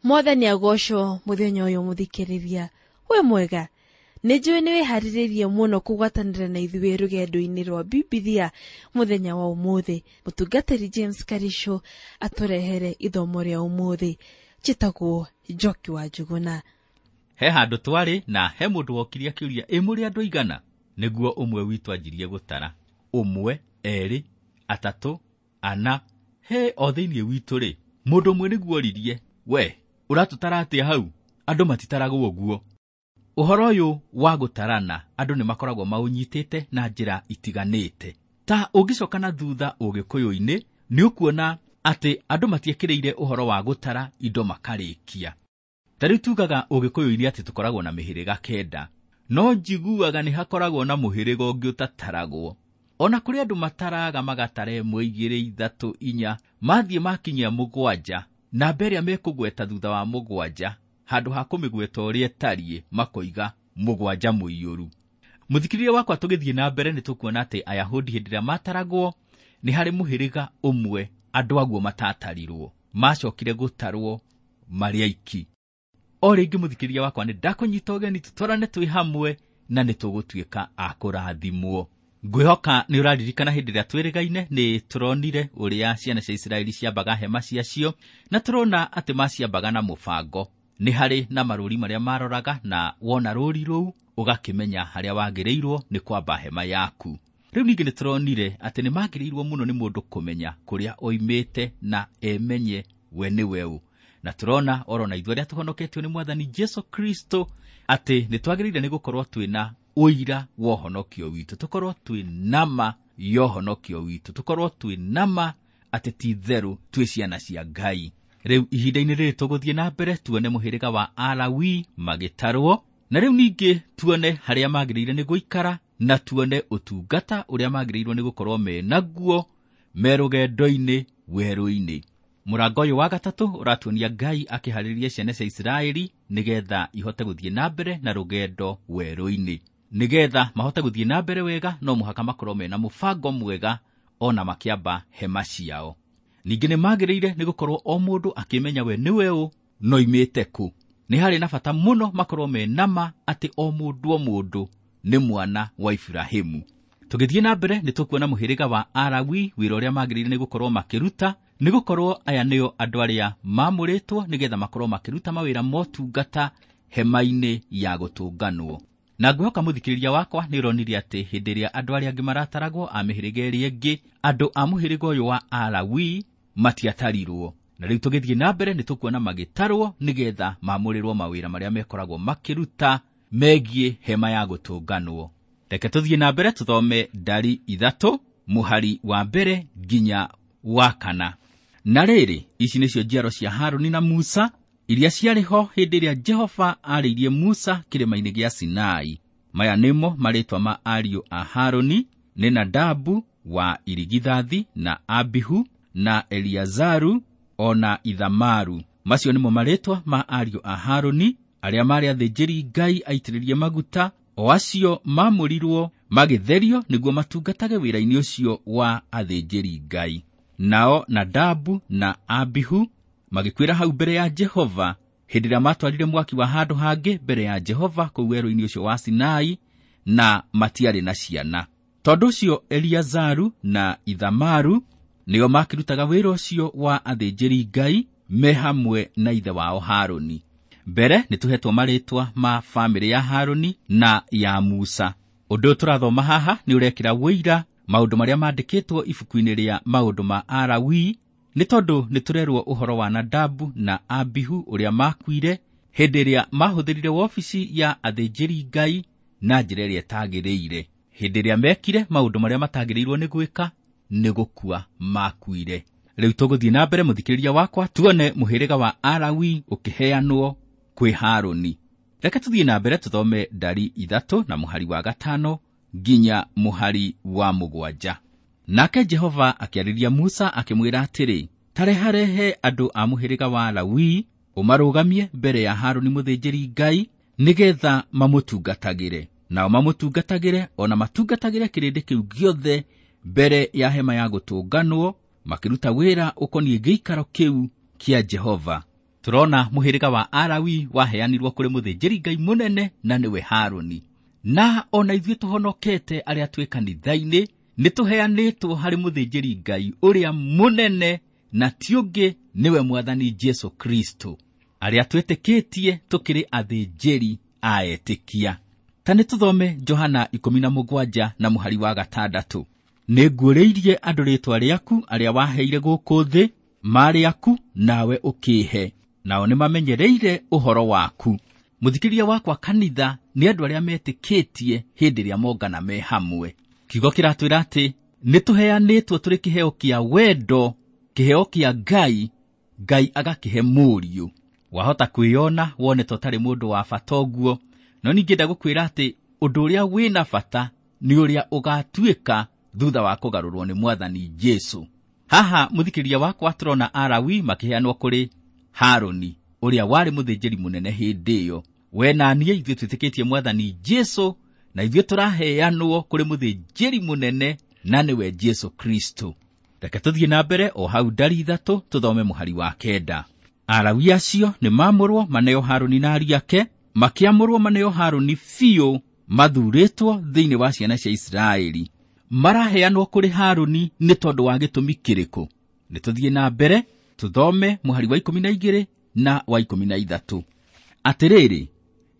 Mwathani agocwo muthenya uyu muthikiriria. We mwega, nĩ njũĩ nĩ wĩharĩrĩirie mũno kũgwatanĩra na ithuĩ rũgendo-inĩ rwa Bibilia mũthenya wa ũmũthĩ. Mũtungatĩri James Karisho atũrehere ithomo rĩa ũmũthĩ. Njĩtagwo Njoki wa Njuguna. He handũ twarĩ na he mũndũ wokire akĩũria, ĩ mũrĩ andũ aigana? Nĩguo ũmwe witũ anjirie gũtara. 1, 2, 3, 4. He o thĩinĩ witũ rĩ, mũndũ ũmwe nĩguo oririe, we ũratũtara atĩa hau? Andũ matitaragwo ũguo. Ũhoro ũyũ wa gũtarana andũ nĩ makoragwo maũnyitĩte na njĩra itiganĩte. Ta ũngĩcoka na thutha ũgĩkũyũ-inĩ, nĩ ũkuona atĩ andũ matiĩkĩrĩire ũhoro wa gũtara indo makarĩkia. Ta rĩu tugaga ũgĩkũyũ-inĩ atĩ tũkoragwo na mĩhĩrĩga 9, no njiguaga nĩ hakoragwo na mũhĩrĩga ũngĩ ũtataragwo. Ona kũrĩ andũ mataraga magatara 1, 2, 3, 4, mathiĩ makinyia 7, namba ĩrĩa mekũgweta thutha wa 7, handũ ha kũmĩgweta ũrĩa ĩtariĩ, makoiga 7 mũiyũru. Mũthikĩrĩria wakwa, tũgĩthiĩ na mbere nĩ tũkuona atĩ Ayahudi hĩndĩ ĩrĩa mataragwo nĩ harĩ mũhĩrĩga ũmwe andũ aguo matatarirwo, macokire gũtarwo marĩ aiki. O rĩngĩ mũthikĩrĩria wakwa, nĩ ndakũnyita ũgeni tũtwarane twĩ hamwe na nĩ tũgũtuĩka a kũrathimwo. Ngwĩhoka nĩ ũraririkana hĩndĩ ĩrĩa twĩrĩgaine nĩ tũronire ũrĩa ciana cia Isiraeli ciambaga hema ciacio, na tũrona atĩ maciambaga na mũbango. Nĩ harĩ na marũri marĩa maroraga, na wona rũri rũu ũgakĩmenya harĩa wagĩrĩirwo nĩ kwamba hema yaku. Rĩu ningĩ nĩ tũronire atĩ nĩ magĩrĩirwo mũno nĩ mũndũ kũmenya kũrĩa oimĩte na emenye we nĩ we ũ. Na tũrona oro na ithuĩ arĩa tũhonoketio nĩ Mwathani Jesu Kristo atĩ nĩ twagĩrĩire nĩ gũkorwo twĩna ũira wa ũhonokio witũ, tũkorwo twĩ nama ya ũhonokio witũ, tũkorwo twĩ nama atĩ ti itherũ twĩ ciana cia Ngai. Rĩu ihinda-inĩ rĩrĩ tũgũthiĩ na mbere tuone mũhĩrĩga wa Alawi magĩtarwo, na rĩu ningĩ tuone harĩa magĩrĩire nĩ gũikara, na tuone ũtungata ũrĩa magĩrĩirwo nĩ gũkorwo me naguo me rũgendo-inĩ werũ-inĩ. Mũrango ũyũ wa 3 ũratuonia Ngai akĩharĩria ciana cia Isiraeli nĩgetha ihote gũthiĩ na mbere na rũgendo werũ-inĩ. Nĩgetha mahote gũthiĩ na mbere wega, no mũhaka makorwo mena mũbango mwega ona makĩamba hema ciao. Ningĩ nĩ magĩrĩire nĩ gũkorwo o mũndũ akĩmenya we nĩwe ũ, no oimĩte kũ. Nĩ harĩ na bata mũno makorwo me nama atĩ o mũndũ o mũndũ nĩ mwana wa Iburahĩmu. Tũgĩthiĩ na mbere nĩ tũkuona mũhĩrĩga wa Alawi wĩra ũrĩa magĩrĩire nĩ gũkorwo makĩruta, nĩ gũkorwo aya nĩo andũ arĩa maamũrĩtwo nĩgetha makorwo makĩruta mawĩra motungata hema-inĩ ya gũtũnganwo. Na ngwĩhoka mũthikĩrĩria wakwa nĩ ũronire atĩ hĩndĩ ĩrĩa andũ arĩa angĩ marataragwo a mĩhĩrĩga ĩrĩa ĩngĩ, andũ a mũhĩrĩga ũyũ wa Alawi matiatarirwo. Na rĩu tũgĩthiĩ na mbere nĩ tũkuona magĩtarwo nĩgetha maamũrĩrwo mawĩra marĩa mekoragwo makĩruta megiĩ hema ya gũtũnganwo. Reke tũthiĩ na mbere tũthome ndari 3 mũhari wa 1 nginya wa 4. Na rĩrĩ, ici nĩcio njiaro cia Harũni na Musa iria ciarĩ ho hĩndĩ ĩrĩa Jehova aarĩirie Musa kĩrĩma-inĩ gĩa Sinai. Maya nĩmo marĩĩtwa ma ariũ a Harũni, nĩ Nadabu wa irigithathi, na Abihu, na Eliazaru, o na Ithamaru. Macio nĩmo marĩĩtwa ma ariũ a Harũni arĩa maarĩ athĩnjĩri Ngai aitĩrĩrie maguta, o acio maamũrirwo magĩtherio nĩguo matungatage wĩra-inĩ ũcio wa athĩnjĩri Ngai. Nao Nadabu na Abihu magĩkuĩra hau mbere ya Jehova hĩndĩ ĩrĩa matwarire mwaki wa handũ hangĩ mbere ya Jehova kũu werũ-inĩ ũcio wa Sinai, na matiarĩ na ciana. Tondũ ũcio Eliazaru na Ithamaru nĩo makĩrutaga wĩra ũcio wa athĩnjĩri Ngai me hamwe na ithe wao Harũni. Mbere nĩ tũhetwo marĩĩtwa ma bamĩrĩ ya Harũni na ya Musa. Ũndũ ũyũ tũrathoma haha nĩ ũrekĩra ũira maũndũ marĩa mandĩkĩtwo ibuku-inĩ rĩa maũndũ ma Alawi, nĩ tondũ nĩ tũrerwo ũhoro wa Nadabu na Abihu ũrĩa makuire hĩndĩ ĩrĩa mahũthĩrire wobici ya athĩnjĩri Ngai na njĩra ĩrĩa ĩtagĩrĩire. Hĩndĩ ĩrĩa mekire maũndũ marĩa matagĩrĩirwo nĩ gwĩka, nĩ gũkua makuire. Rĩu tũgũthiĩ na mbere mũthikĩrĩria wakwa tuone mũhĩrĩga wa Alawi ũkĩheanwo kwĩ Harũni. Reke tũthiĩ na mbere tũthome ndari 3 na mũhari wa 5 nginya mũhari wa 7. Nake Jehova akĩarĩria Musa akĩmwĩra atĩrĩ, ta reharehe andũ a mũhĩrĩga wa Lawi ũmarũgamie mbere ya Harũni mũthĩnjĩri Ngai nĩgetha mamũtungatagĩre. Nao mamũtungatagĩre o na matungatagĩre kĩrĩndĩ kĩu gĩothe mbere ya hema ya gũtũnganwo, makĩruta wĩra ũkoniĩ gĩikaro kĩu kĩa Jehova. Tũrona mũhĩrĩga wa Alawi waheanirwo kũrĩ mũthĩnjĩri-Ngai mũnene na nĩwe Harũni. Na ona ithuĩ tũhonokete arĩa twĩ kanitha-inĩ nĩ tũheanĩtwo harĩ mũthĩnjĩri-Ngai ũrĩa mũnene na ti ũngĩ nĩwe Mwathani Jesu Kristo. Arĩa twĩtĩkĩtie tũkĩrĩ athĩnjĩri a etĩkia. Ta nĩ tũthome Johana 17 na mũhari wa 6. Nĩnguũrĩirie andũ rĩĩtwa rĩaku arĩa waheire gũkũ thĩ, maarĩ aku nawe ũkĩĩhe, nao nĩmamenyereire ũhoro waku. Mũthikĩria wakwa kanitha nĩ andũ arĩa metĩkĩtie hĩndĩ ĩrĩa mongana me hamwe. Kiugo kĩratwĩra atĩ nĩ tũheanĩtwo tũrĩ kĩheo kĩa wendo, kĩheo kĩa Ngai, Ngai agakĩhe mũriũ. Wahota kwĩyona wone ta ũtarĩ mũndũ wa bata ũguo, no ningĩenda gũkwĩra atĩ ũndũ ũrĩa wĩna bata nĩ ũrĩa ũgatuĩka thutha wa kũgarũrwo nĩ Mwathani Jesu. Haha mũthikĩria wakwa tũrona Alawi makĩheanwo kũrĩ Harũni ũrĩa warĩ mũthĩnjĩri mũnene hĩndĩ ĩyo. We na niĩ ithuĩ twĩtĩkĩtie Mwathani Jesu na ithuĩ tũraheanwo kũrĩ mũthĩnjĩri mũnene na nĩwe Jesu Kristo. Reke tũthiĩ na mbere o hau ndari 3 tũthome mũhari wa 9. Alawi acio nĩ maamũrwo maneo Harũni na ariũ ake, makĩamũrwo maneo Harũni biũ mathurĩtwo thĩinĩ wa ciana cia Isiraeli. Maraheanwo kũrĩ Harũni nĩ tondũ wa gĩtũmi kĩrĩkũ? Nĩ tũthiĩ na mbere tũthome mũhari wa 12 na wa 13. Atĩrĩrĩ,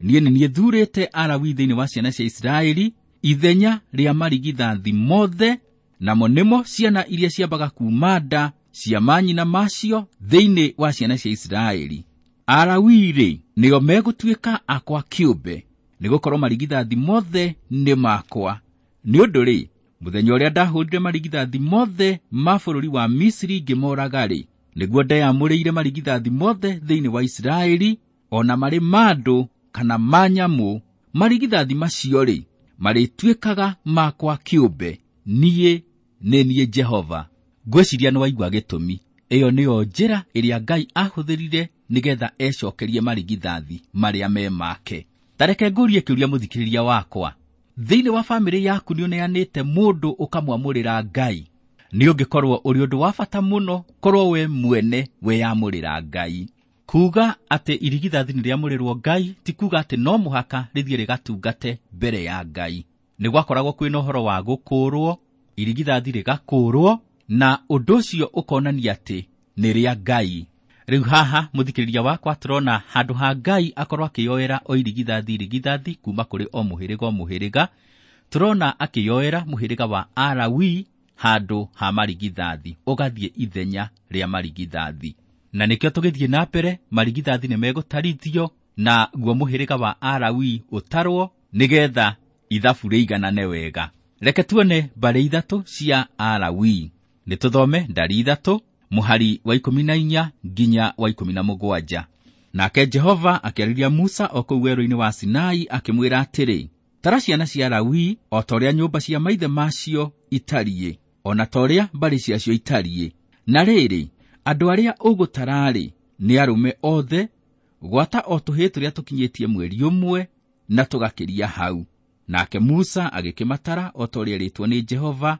niĩ nĩ niĩ thurĩte Alawi thĩinĩ wa ciana cia Isiraeli ithenya rĩa marigithathi mothe, namo nĩmo ciana iria ciambaga kuuma nda cia manyina macio thĩinĩ wa ciana cia Isiraeli. Alawi-rĩ, nĩo megũtuĩka akwa kĩũmbe, nĩgũkorwo marigithathi mothe nĩ makwa. Nĩ ũndũ-rĩ, mũthenya ũrĩa ndahũrire marigithathi mothe ma bũrũri wa Misiri ngĩmoraga-rĩ, nĩguo ndeyamũrĩire marigithathi mothe thĩinĩ wa Isiraeli, o na marĩ ma andũ kana ma nyamũ. Marigithathi macio-rĩ, marĩtuĩkaga makwa kĩũmbe. Niĩ nĩ niĩ Jehova. Ngwĩciria nĩ waigua gĩtũmi. Ĩyo nĩyo njĩra ĩrĩa Ngai ahũthĩrire nĩgetha ecokerie marigithathi marĩa me make. Ta reke ngũrie kĩũria mũthikĩrĩria wakwa. Thĩinĩ wa bamĩrĩ yaku nĩ ũneanĩte mũndũ ũkamwamũrĩra Ngai? Nĩ ũngĩkorwo ũrĩ ũndũ wa bata mũno korwo we mwene weyamũrĩra Ngai. Kuga atĩ irigithathi nĩ rĩamũrĩrwo Ngai ti kuga atĩ no mũhaka rĩthiĩ rĩgatungate mbere ya Ngai. Nĩ gwakoragwo kwĩna ũhoro wa gũkũũrwo, irigithathi rĩgakũũrwo, na ũndũ ũcio ũkonania atĩ nĩ rĩa Ngai. Rĩu haha mũthikĩrĩria wakwa tũrona handũ ha Ngai akorwo akĩyoera o irigithathi irigithathi kuma kũrĩ o mũhĩrĩga o mũhĩrĩga, tũrona akĩyoera mũhĩrĩga wa Alawi handũ ha marigithathi, ũgathiĩ ithenya rĩa marigithathi. Na nĩkĩo tũgĩthiĩ na mbere, marigithathi nĩ megũtarithio na guo mũhĩrĩga wa Alawi ũtarwo nĩgetha ithabu rĩiganane wega. Reke tuone mbarĩ 3 cia Alawi. Nĩ tũthome ndari 3 mũhari wa 14 nginya wa 17. Nake Jehova akĩarĩria Musa o kũu werũ-inĩ wa Sinai akĩmwĩra atĩrĩ, tara ciana cia Lawi o ta ũrĩa nyũmba cia maithe macio itariĩ, o na ta ũrĩa mbarĩ ciacio itariĩ. Na rĩrĩ, andũ arĩa ũgũtara-rĩ, nĩ arũme othe, gwata o tũhĩĩ tũrĩa tũkinyĩtie mweri ũmwe na tũgakĩria hau. Nake Musa agĩkĩmatara o ta ũrĩa erĩtwo nĩ Jehova,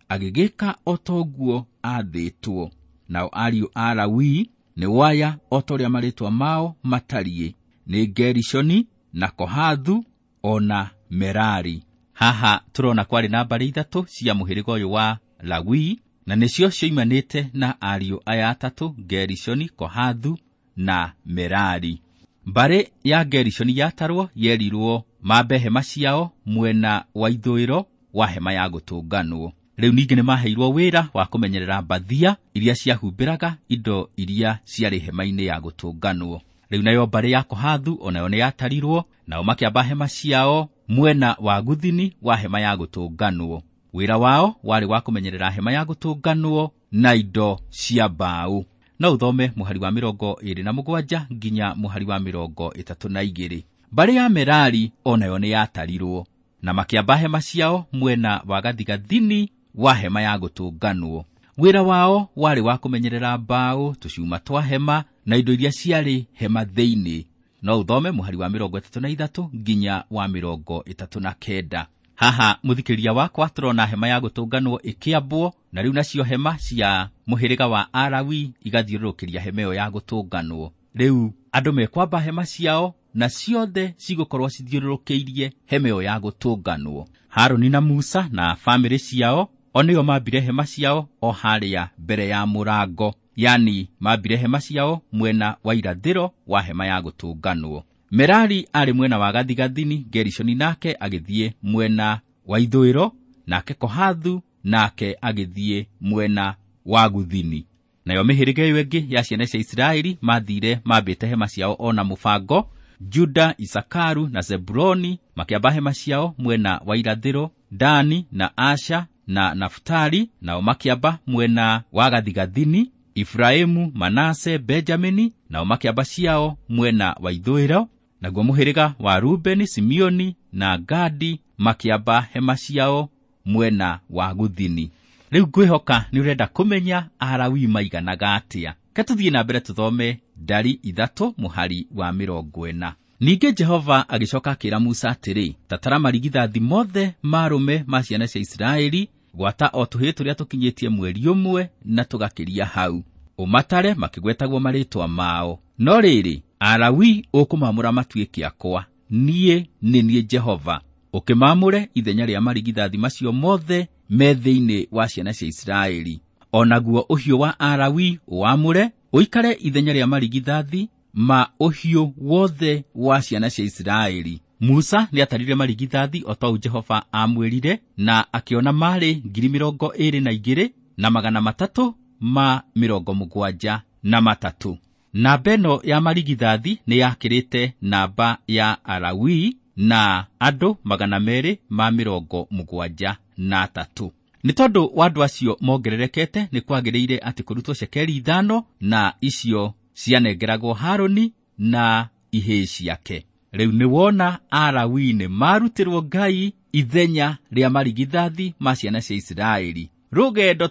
agĩgĩka o ta ũguo aathĩtwo. Nao ariũ a Lawi nĩ waya o ta ũrĩa marĩĩtwa mao matariĩ, nĩ Gerishoni na Kohathu o na Merari. Haha tũrona kwarĩ na mbarĩ 3 cia mũhĩrĩga ũyũ wa Lawi, na nĩcio cioimanĩte na ariũ aya 3, Gerishoni, Kohathu na Merari. Mbarĩ ya Gerishoni yatarwo yerirwo mambe hema ciao mwena wa ithũĩro wa hema ya gũtũnganwo. Rĩu ningĩ nĩ maheirwo wĩra wa kũmenyerera mbathia iria ciahumbĩraga indo iria ciarĩ hema-inĩ ya gũtũnganwo. Rĩu nayo mbarĩ ya Kohathu onayo nĩ yatarirwo, nao makĩamba hema ciao mwena wa guthini wa hema ya gũtũnganwo. Wĩra wao warĩ wa kũmenyerera hema ya gũtũnganwo na indo cia mbaũ. No ũthome mũhari wa 27 nginya mũhari wa 32. Mbarĩ ya Merari onayo nĩ yatarirwo, na makĩamba hema ciao mwena wa gathigathini wa hema ya gũtũnganwo. Wĩra wao warĩ wa kũmenyerera mbaũ, tũcuma twa hema na indo iria ciarĩ hema thĩinĩ. No ũthome mũhari wa 33 nginya wa 39. Haha mũthikĩrĩria wakwa tũrona hema ya gũtũnganwo ĩkĩambwo, na rĩu nacio hema cia mũhĩrĩga wa Alawi igathiũrũrũkĩria hema ĩyo ya gũtũnganwo. Rĩu andũ mekwamba hema ciao na ciothe cigũkorwo cithiũrũrũkĩirie hema ĩyo ya gũtũnganwo. Harũni na Musa na bamĩrĩ ciao o nĩo mambire hema ciao o harĩa mbere ya mũrango, yani mambire hema ciao mwena wa irathĩro wa hema ya gũtũnganwo. Merari arĩ mwena wa gathigathini, Gerishoni nake agĩthiĩ mwena wa ithũĩro, nake Kohathu nake agĩthiĩ mwena wa guthini. Nayo mĩhĩrĩga ĩyo ĩngĩ ya ciana cia Isiraeli mathire mambĩte hema ciao ona mũbango. Juda, Isakaru na Zebuloni makĩamba hema ciao mwena wa irathĩro, Dani na Asha na Naftali nao makĩamba mwena wa gathigathini, Efraimu, Manase, Benjamini nao makĩamba ciao mwena wa ithũĩro, naguo mũhĩrĩga wa Rubeni, Simeoni na Gadi makĩamba hema ciao mwena wa guthini. Rĩu ngwĩhoka nĩ ũrenda kũmenya Alawii maiganaga atĩa. Ke tũthiĩ na mbere tũthome ndari 3 mũhari wa 40. Ningĩ Jehova agĩcoka akĩra Musa atĩrĩ, tatara marigithathi mothe marũme ma ciana cia Isiraeli, gwata o tũhĩĩ tũrĩa tũkinyĩtie mweri ũmwe na tũgakĩria hau, ũmatare makĩgwetagwo marĩtwa mao. No rĩrĩ, Alawii ũkũmamũra matuĩke akwa, niĩ nĩ niĩ Jehova. Ũkĩmamũre ithenya rĩa marigithathi macio mothe me thĩinĩ wa ciana cia Isiraeli. O naguo ũhiũ wa Alawii ũwamũre ũikare ithenya rĩa marigithathi ma ũhiũ wothe wa ciana cia Isiraeli. Musa nĩatarire marigithathi o ta ũũ Jehova aamwĩrire, na akĩona marĩ 22,373. Namba ĩno ya marigithathi nĩ yakĩrĩte namba ya Alawii na andũ 273. Nĩ tondũ wa andũ acio mongererekete, nĩ kwagĩrĩire atĩ kũrutwo cekeri 5, na icio cianengeragwo Harũni na ihĩĩ ciake. Rĩu nĩ wona Alawii nĩ marutĩrwo Ngai ithenya rĩa marigithathi ma ciana cia Isiraeli. Rũgendo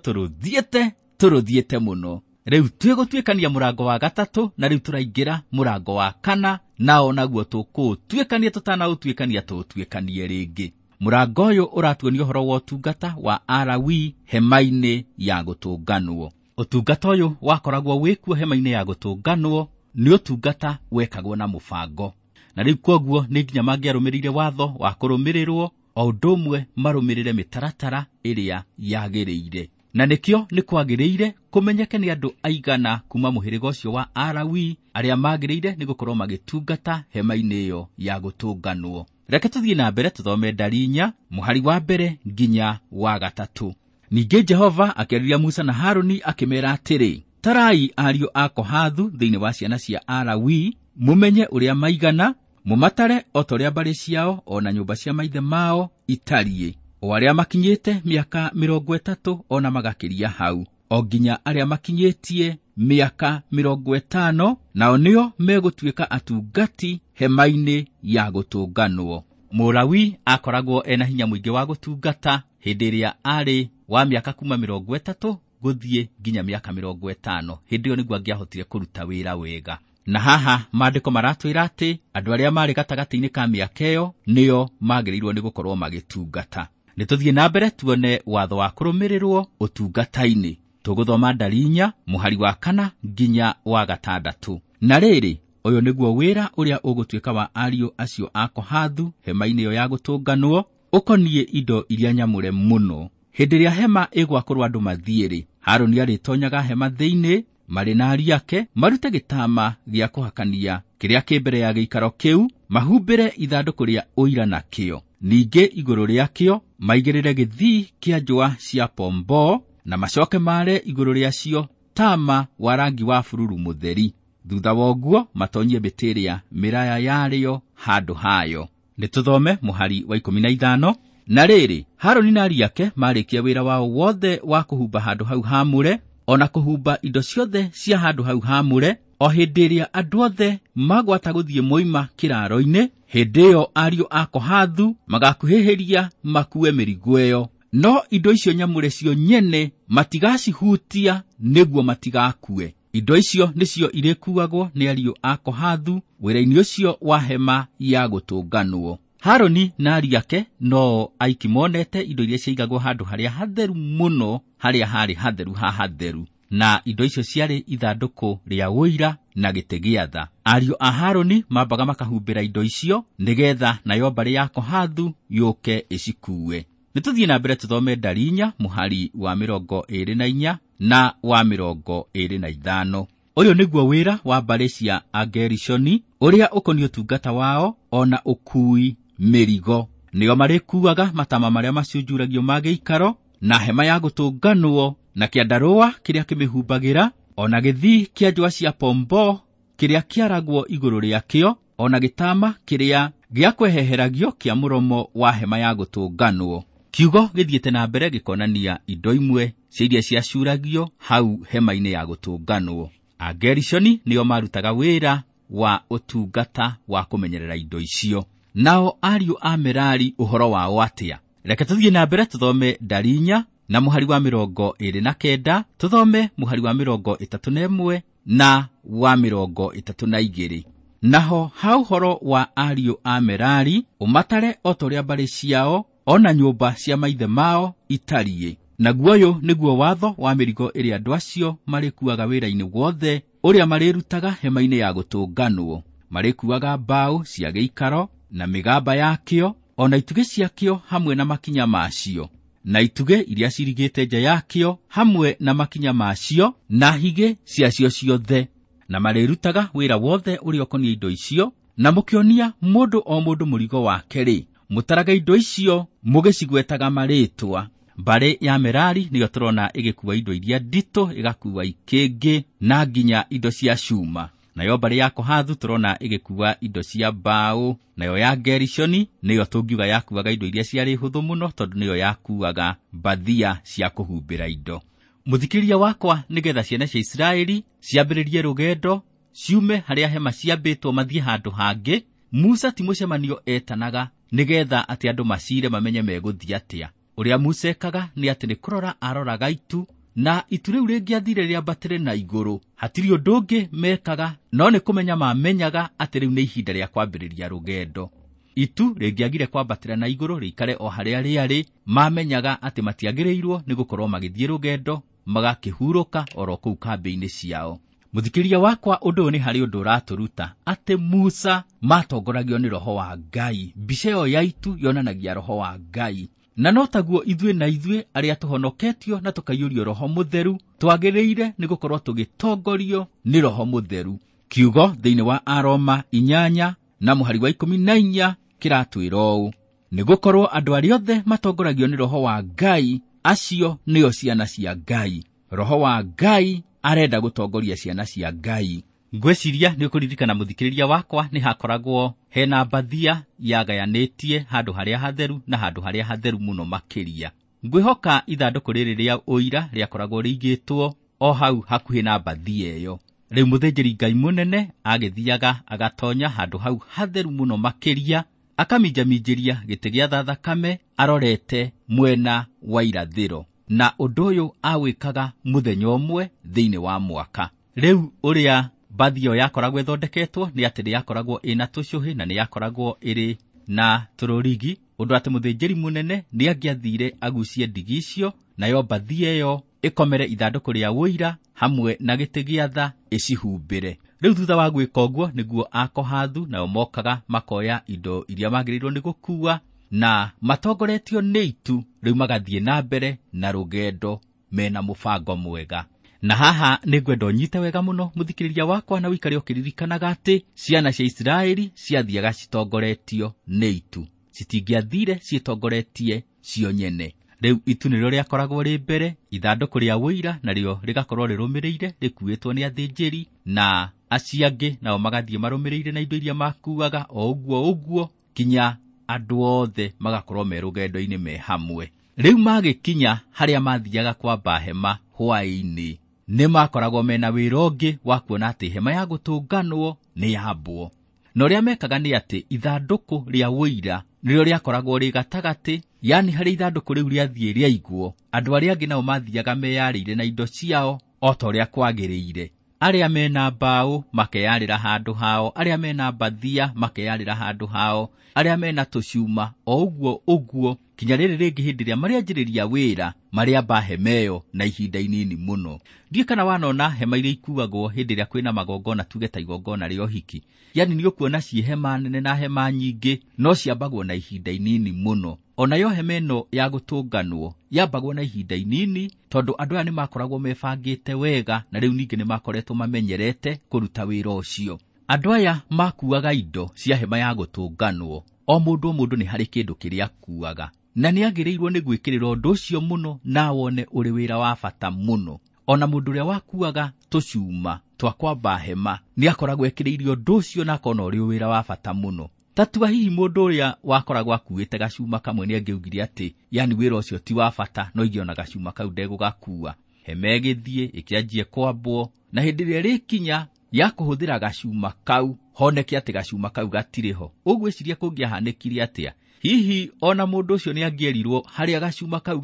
tũrũthiĩte mũno. Rĩu twĩgũtuĩkania mũrango wa 3, na rĩu tũraingĩra mũrango wa 4, nao naguo tũkũũtuĩkania tũtanaũtuĩkania tũũtuĩkanie rĩngĩ. Mũrango ũyũ ũratuonia ũhoro wa ũtungata wa Alawii hema-inĩ ya gũtũnganwo. Ũtungata ũyũ wakoragwo wĩkuo hema-inĩ ya gũtũnganwo nĩ ũtungata wekagwo na mũbango, na rĩu kwoguo nĩ nginya mangĩarũmĩrĩire watho wa kũrũmĩrĩrwo o ũndũ ũmwe marũmĩrĩre mĩtaratara ĩrĩa yagĩrĩire. Na nĩkĩo nĩ kwagĩrĩire kũmenyeke nĩ andũ aigana kuma mũhĩrĩga ũcio wa Alawii arĩa magĩrĩire nĩ gũkorwo magĩtungata hema-inĩ ĩyo ya gũtũnganwo. Reke tũthiĩ na mbere tũthome ndari 4 mũhari wa 1 nginya wa 3. Ningĩ Jehova akĩarĩria Musa na Harũni akĩmeera atĩrĩ, tarai ariũ a Kohathu thĩinĩ wa ciana cia Alawii, mũmenye ũrĩa maigana, mũmatare o ta ũrĩa mbarĩ ciao o na nyũmba cia maithe mao itariĩ, o arĩa makinyĩte mĩaka 30 o na magakĩria hau, o nginya arĩa makinyĩtie mĩaka 50, nao nĩo megũtuĩka atungati hema-inĩ ya gũtũnganwo. Mũlawi akoragwo ena hinya mũingĩ wa gũtungata hĩndĩ ĩrĩa arĩ wa mĩaka kuma 30 gũthiĩ nginya mĩaka 50. Hĩndĩ ĩyo nĩguo angĩahotire kũruta wĩra wega. Na haha maandĩko maratwĩra atĩ andũ arĩa marĩ gatagatĩ-inĩ ka mĩaka ĩyo nĩo magĩrĩirwo nĩ gũkorwo magĩtungata. Nĩ tũthiĩ na mbere tuone watho wa kũrũmĩrĩrwo ũtungata-inĩ. Tũgũthoma ndari 4 mũhari wa 4 nginya wa 6. Na rĩrĩ, ũyũ nĩguo wĩra ũrĩa ũgũtuĩka wa ariũ acio a Kohathu hema-inĩ ĩyo ya gũtũnganwo, ũkoniĩ indo iria nyamũre mũno. Hĩndĩ ĩrĩa hema ĩgwakũrwo andũ mathiĩ-rĩ, Harũni arĩtonyaga hema thĩinĩ marĩ na ariũ ake, marute gĩtama gĩa kũhakania kĩrĩa kĩ mbere ya gĩikaro kĩu, mahumbĩre ithandũkũ rĩa ũira nakĩo. Ningĩ igũrũ rĩakĩo maigĩrĩre gĩthii kĩa njũa cia pomboo, na macoke maare igũrũ rĩacio tama wa rangi wa bururu mũtheri. Thutha wa ũguo matonyie mĩtĩ ĩrĩa mĩraya yarĩo handũ hayo. Nĩ tũthome mũhari wa 15. Na rĩrĩ, Harũni na ariũ ake marĩkia wĩra wao wothe wa kũhumba handũ hau haamũre, o na kũhumba indo ciothe cia handũ hau haamũre, o hĩndĩ ĩrĩa andũ othe magwata gũthiĩ moima kĩraaro-inĩ, hĩndĩ ĩyo ariũ a Kohathu magakuhĩhĩria makue mĩrigo ĩyo. No indo icio nyamũre cio nyene matigacihutia nĩguo matigakue. Indo icio nĩcio irĩkuagwo nĩ ariũ a Kohathu wĩra-inĩ ũcio wa hema ya gũtũnganwo. Harũni na ariũ ake no aiki monete indo iria ciaigagwo handũ harĩa hatheru mũno, harĩa harĩ hatheru ha hatheru. Na indo icio ciarĩ ithandũkũ rĩa ũira na gĩtĩ gĩa tha. Ariũ a Harũni mambaga makahumbĩra indo icio nĩgetha nayo mbarĩ ya Kohathu yũke ĩcikuue. Nĩtũthiĩ na mbere tũthome ndari 4 mũhari wa 24 na wa 25. Ũyũ nĩguo wĩra wa mbarĩ cia Agerishoni ũrĩa ũkoniĩ ũtungata wao ona ũkuui mĩrigo. Nĩo marĩkuaga matama marĩa macunjuragio ma gĩikaro na hema ya gũtũnganwo na kĩandarũa kĩrĩa kĩmĩhumbagĩra, ona gĩthii kĩa njũa cia pombo kĩrĩa kĩaragwo igũrũ rĩakĩo, ona gĩtama kĩrĩa gĩa kweheheragio kĩa mũromo wa hema ya gũtũnganwo. Kiugo gĩthiĩte na mbere gĩkonania indo imwe cia iria ciacuragio hau hema-inĩ ya gũtũnganwo. Agerishoni nĩo marutaga wĩra wa ũtungata wa kũmenyerera indo icio. Nao ariũ a Merari ũhoro wao atĩa? Reke tũthiĩ na mbere tũthome ndari 4 na mũhari wa 29, tũthome mũhari wa 31 na wa 32. Naho ha ũhoro wa ariũ a Merari ũmatare o ta ũrĩa mbarĩ ciao ona nyũmba cia maithe mao itariĩ. Naguo ũyũ nĩguo watho wa mĩrigo ĩrĩa andũ acio marĩkuaga wĩra-inĩ wothe ũrĩa marĩrutaga hema-inĩ ya gũtũnganwo. Marĩkuaga mbaũ cia gĩikaro na mĩgamba yakĩo, ona itugĩ ciakĩo hamwe na makinya macio, na itugĩ iria cirigĩte nja yakĩo hamwe na makinya macio, na higĩ ciacio ciothe. Na marĩrutaga wĩra wothe ũrĩa ũkoniĩ indo icio, na mũkĩonia mũndũ o mũndũ mũrigo wake-rĩ, mũtaraga indo icio mũgĩcigwetaga marĩtwa. Mbarĩ ya Merari nĩyo tũrona ĩgĩkua indo iria nditũ, ĩgakua ikĩngĩ na nginya indo cia cuma. Nayo mbarĩ ya Kohathu tũrona ĩgĩkua indo cia mbaũ. Nayo ya Gerishoni nĩyo tũngiuga yakuaga indo iria ciarĩ hũthũ mũno, tondũ nĩyo yakuaga mbathia cia kũhumbĩra indo. Mũthikĩrĩria wakwa, nĩgetha ciana cia Isiraeli ciambĩrĩrie rũgendo ciume harĩa hema ciambĩtwo mathiĩ handũ hangĩ, Musa ti mũcemanio etanaga nĩgetha atĩ andũ macire mamenye megũthiĩ atĩa. Ũrĩa Musa ekaga nĩ atĩ nĩ kũrora aroraga itu, na itu rĩu rĩngĩathire rĩambatĩre na igũrũ. Hatirĩ ũndũ ũngĩ mekaga, no nĩ kũmenya mamenyaga atĩ rĩu nĩ ihinda rĩa kwambĩrĩria rũgendo. Itu rĩngĩagire kwambatĩra na igũrũ rĩikare o harĩa rĩarĩ, mamenyaga atĩ matiagĩrĩirwo nĩ gũkorwo magĩthiĩ rũgendo, magakĩhurũka oro kũu kambĩ-inĩ ciao. Mũthikĩrĩria wakwa, ũndũ ũyũ nĩ harĩ ũndũ ũratũruta atĩ Musa matongoragio nĩ Roho wa Ngai. Mbica ĩyo ya itu yonanagia Roho wa Ngai. Na no taguo ithuĩ na ithuĩ arĩa tũhonoketio na tũkaiyũrio Roho Mũtheru twagĩrĩire nĩ gũkorwo tũgĩtongorio nĩ Roho Mũtheru. Kiugo thĩinĩ wa Aroma 8 na mũhari wa 14 kĩratwĩra ũũ: nĩ gũkorwo andũ arĩa othe matongoragio nĩ Roho wa Ngai, acio nĩo ciana cia Ngai. Roho wa Ngai arenda gũtongoria ciana cia Ngai. Ngwĩciria nĩ ũkũririkana mũthikĩrĩria wakwa, nĩ hakoragwo hena mbathia yagayanĩtie handũ harĩa hatheru na handũ harĩa hatheru mũno makĩria. Ngwĩhoka ithandũkũ rĩrĩ rĩa ũira rĩakoragwo rĩigĩtwo o hau hakuhĩ na mbathia ĩyo. Rĩu mũthĩnjĩri Ngai mũnene agĩthiaga agatonya handũ hau hatheru mũno makĩria, akaminjaminjĩria gĩtĩ gĩa tha thakame arorete mwena wa irathĩro. Na ũndũ ũyũ awĩkaga mũthenya ũmwe thĩinĩ wa mwaka. Rĩu ũrĩa mbathia ĩyo yakoragwo ĩthondeketwo nĩ atĩ nĩ yakoragwo ĩna tũcũhĩ na nĩ yakoragwo ĩrĩ na tũrũrigi, ũndũ atĩ mũthĩnjĩri mũnene nĩ angĩathire agucie ndigi icio, nayo mbathia ĩyo ĩkomere ithandũkũ rĩa ũira hamwe na gĩtĩ gĩa tha ĩcihumbĩre. Rĩu thutha wa gwĩka ũguo nĩguo Akohathu nao mokaga makoya indo iria magĩrĩirwo nĩ gũkua, na matongoretio nĩ itu rĩu magathiĩ na mbere na rũgendo mena mũbango mwega. Na haha nĩ ngwenda ũnyite wega mũno mũthikĩrĩria wakwa, na ũikare ũkĩririkanaga atĩ ciana cia Isiraeli ciathiaga citongoretio nĩ itu, citingĩathire ciĩtongoretie cio nyene. Rĩu itu nĩrĩo rĩakoragwo rĩ mbere, ithandũkũ rĩa ũira narĩo rĩgakorwo rĩrũmĩrĩire rĩkuĩtwo nĩ athĩnjĩri, na acio angĩ nao magathiĩ marũmĩrĩire na indo iria makuaga o ũguo ũguo kinya andũ othe magakorwo me rũgendo-inĩ me hamwe. Rĩu magĩkinya harĩa mathiaga kwamba hema hwaĩ-inĩ, nĩ makoragwo mena wĩra ũngĩ wa kuona atĩ hema ya gũtũnganwo nĩ yambwo. Na ũrĩa mekaga nĩ atĩ ithandũkũ rĩa ũira nĩrĩo rĩakoragwo rĩ gatagatĩ, yani harĩa ithandũkũ rĩu rĩathiĩ rĩaigwo, andũ arĩa angĩ nao mathiaga meyarĩire na indo ciao o ta ũrĩa kwagĩrĩire. Arĩa mena mbaũ makeyarĩra handũ hao, arĩa mena mbathia makeyarĩra handũ hao, arĩa mena tũcuma o ũguo ũguo, kinya rĩrĩ rĩngĩ hĩndĩ ĩrĩa marĩanjĩrĩria wĩra marĩamba hema ĩyo na ihinda inini mũno. Ndiũĩ kana wanona hema iria ikuagwo hĩndĩ ĩrĩa kwĩna magongona, tuge ta igongona rĩa ũhiki, yani nĩ ũkuona ciĩ hema nene na hema nyingĩ, no ciambagwo na ihinda inini mũno. Onayo hema ĩno ya gũtũnganwo yambagwo na ihinda inini, tondũ andũ aya nĩ makoragwo mebangĩte wega, na rĩu ningĩ nĩ makoretwo mamenyerete kũruta wĩra ũcio. Andũ aya makuaga indo cia hema ya gũtũnganwo, o mũndũ o mũndũ nĩ harĩ kĩndũ kĩrĩa akuaga, na nĩ agĩrĩirwo nĩ gwĩkĩrĩra ũndũ ũcio mũno na wone ũrĩ wĩra wa bata mũno. Ona mũndũ ũrĩa wakuaga tũcuma twa kwamba hema nĩ akoragwo ekĩrĩire ũndũ ũcio na akona ũrĩ wĩra wa bata mũno. Tatua hihi mũndũ ũrĩa wakoragwo akuĩte gacuma kamwe nĩ angĩaugire atĩ yani wĩra ũcio ti wa bata, no ingĩona gacuma kau ndegũgakua. Hema ĩgĩthiĩ ĩkĩanjie kwambwo, na hĩndĩ ĩrĩa ĩrĩkinya ya kũhũthĩra gacuma kau honeke atĩ gacuma kau gatirĩ ho. Ũgwĩciria kũngĩahanĩkire atĩa? Hihi ona mũndũ ũcio nĩ angĩerirwo harĩa gacuma kau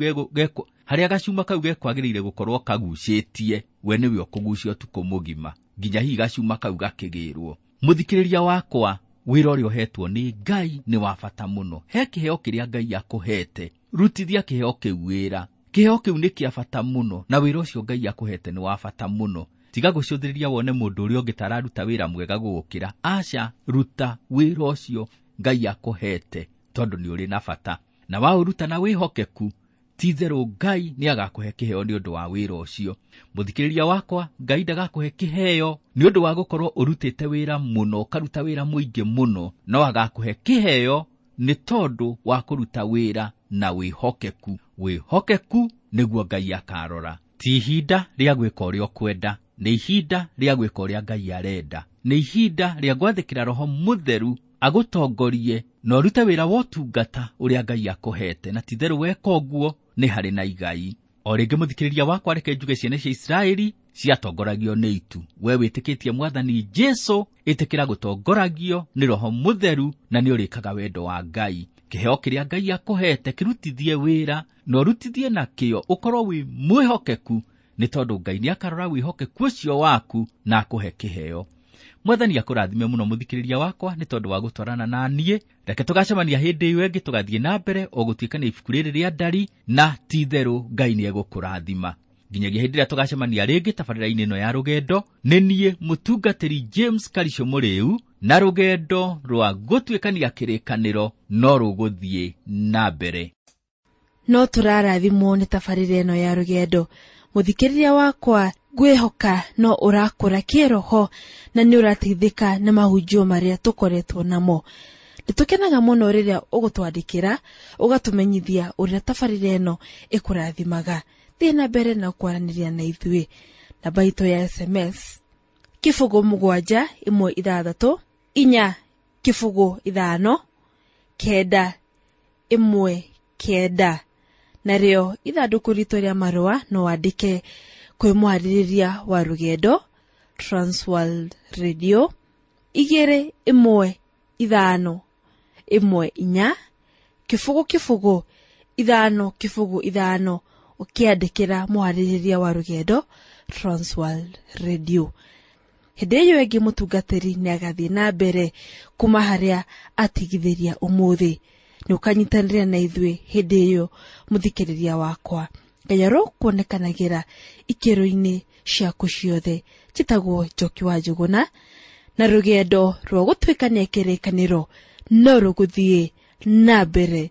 harĩa gacuma kau gekwagĩrĩire gũkorwo kagucĩtie, we nĩwe ũkũgucia ũtukũ mũgima nginya hihi gacuma kau gakĩgĩrwo. Mũthikĩrĩria wakwa, wĩra ũrĩa ũhetwo nĩ Ngai nĩ wa bata mũno. He kĩheo kĩrĩa Ngai akũhete, rutithia kĩheo kĩu wĩra. Kĩheo kĩu nĩ kĩa bata mũno, na wĩra ũcio Ngai akũhete nĩ wa bata mũno. Tiga gũcũthĩrĩria wone mũndũ ũrĩa ũngĩ ta araruta wĩra mwega gũgũkĩra. Aca, ruta wĩra ũcio Ngai akũhete, tondũ nĩ ũrĩ na bata, na waũruta na wĩhokeku, ti-itherũ Ngai nĩ agakũhe kĩheo nĩ ũndũ wa wĩra ũcio. Mũthikĩrĩria wakwa, Ngai ndagakũhe kĩheo nĩ ũndũ wa gũkorwo ũrutĩte wĩra mũno, ũkaruta wĩra mũingĩ mũno, no agakũhe kĩheo nĩ tondũ wa kũruta wĩra na wĩhokeku. Wĩhokeku nĩguo Ngai akarora. Ti ihinda rĩa gwĩka ũrĩa ũkwenda, nĩ ihinda rĩa gwĩka ũrĩa Ngai arenda, nĩ ihinda rĩa gwathĩkĩra Roho Mũtheru agũtongorie na ũrute wĩra wa ũtungata ũrĩa Ngai akũhete, na ti-itherũ weka ũguo nĩ harĩ na igai. O rĩngĩ mũthikĩrĩria wakwa, reke njuge ciana cia Isiraeli ciatongoragio nĩ itu. We wĩtĩkĩtie Mwathani Jesũ, ĩtĩkĩra gũtongoragio nĩ Roho Mũtheru, na nĩ ũrĩkaga wendo wa Ngai. Kĩheo kĩrĩa Ngai akũhete kĩrutithie wĩra, na ũrutithie nakĩo, ũkorwo wĩ mwĩhokeku, nĩ tondũ Ngai nĩ akarora wĩhokeku ũcio waku na akũhe kĩheo. Mwathani akũrathime mũno mũthikĩrĩria wakwa nĩ tondũ wa gũtwarana na niĩ. Reke tũgacemania hĩndĩ ĩyo ĩngĩ, tũgathiĩ na mbere o gũtuĩkania ibuku rĩrĩ rĩa Ndari, na ti-itherũ Ngai nĩ egũkũrathima. Nginyagia hĩndĩ ĩrĩa tũgacemania rĩngĩ tabarĩra-inĩ ĩno ya rũgendo, nĩ niĩ mũtungatĩri James Karisho Mũrĩu, na rũgendo rwa gũtuĩkania kĩrĩkanĩro no rũgũthiĩ na mbere. No tũrarathimwo nĩ tabarĩra ĩno ya rũgendo. Mũthikĩrĩria wakwa, ngwĩhoka no ũrakũra kĩroho na nĩ ũrateithĩka na mahunjio marĩa tũkoretwo namo. Nĩtũkenaga mũno rĩrĩa ũgũtwandĩkĩra, ũgatũmenyithia ũrĩa tabarĩra ĩno ĩkũrathimaga. Thiĩ na mbere na kwaranĩria na ithuĩ. Namba itũ ya SMS 0 7 1 6 4 0 5 9 1 9. Narĩo ithandũkũ ritũ rĩa marũa no wandĩke kwĩ mwarĩrĩria wa rũgendo, Transworld Radio 2 1 5 1 4 0 0 5 0 5, ũkĩandĩkĩra mwarĩrĩria wa rũgendo, Transworld Radio. Hĩndĩ ĩyo ĩngĩ mũtungatĩri nĩ agathiĩ na mbere kuma harĩa atigithĩria ũmũthĩ. Nĩ ũkanyitanĩra na ithuĩ hĩndĩ ĩyo mũthikĩrĩria wakwa. Ngai arokuonekanagĩra ikĩro-inĩ ciaku ciothe. Njĩtagwo Njoki wa Njũgũna, na rũgendo rwa gũtuĩkania kĩrĩkanĩro no rũgũthiĩ na mbere.